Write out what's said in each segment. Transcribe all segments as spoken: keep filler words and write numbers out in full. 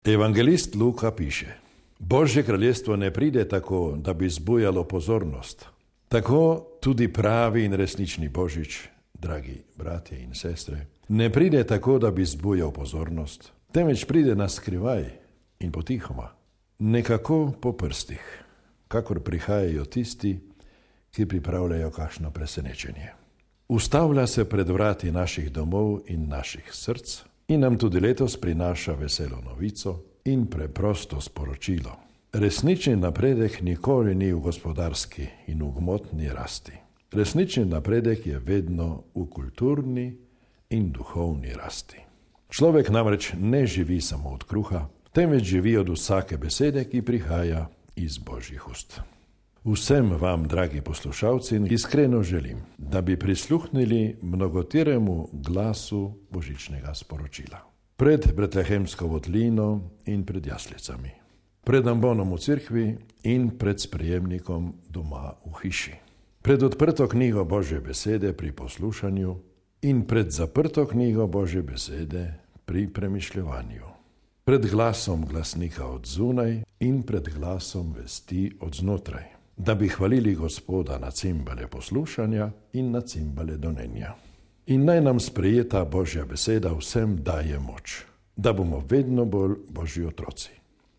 Evangelist Luka piše: Božje kraljestvo ne pride tako, da bi zbujalo pozornost. Tako tudi pravi in resnični Božič, dragi bratje in sestre, ne pride tako, da bi zbujal pozornost, temveč pride na skrivaj in potihoma, nekako po prstih, kakor prihajajo tisti, ki pripravljajo kakšno presenečenje. Ustavlja se pred vrati naših domov in naših src in nam tudi letos prinaša veselo novico in preprosto sporočilo. Resnični napredek nikoli ni v gospodarski in v gmotni rasti. Resnični napredek je vedno v kulturni in duhovni rasti. Človek namreč ne živi samo od kruha, temveč živi od vsake besede, ki prihaja iz Božjih ust. Vsem vam, dragi poslušalci, iskreno želim, da bi prisluhnili mnogotiremu glasu božičnega sporočila. Pred betlehemsko votlino in pred jaslicami, pred ambonom v cerkvi in pred sprejemnikom doma v hiši, pred odprto knjigo Božje besede pri poslušanju in pred zaprto knjigo Božje besede pri premišljevanju, pred glasom glasnika od zunaj in pred glasom vesti od znotraj, da bi hvalili Gospoda na cimbale poslušanja in na cimbale donenja. In naj nam sprejeta Božja beseda vsem daje moč, da bomo vedno bolj Božji otroci.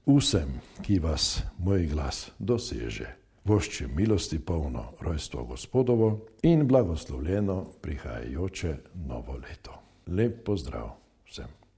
Vsem, ki vas moj glas doseže, voščim milosti polno rojstvo Gospodovo in blagoslovljeno prihajajoče novo leto. Lep pozdrav vsem.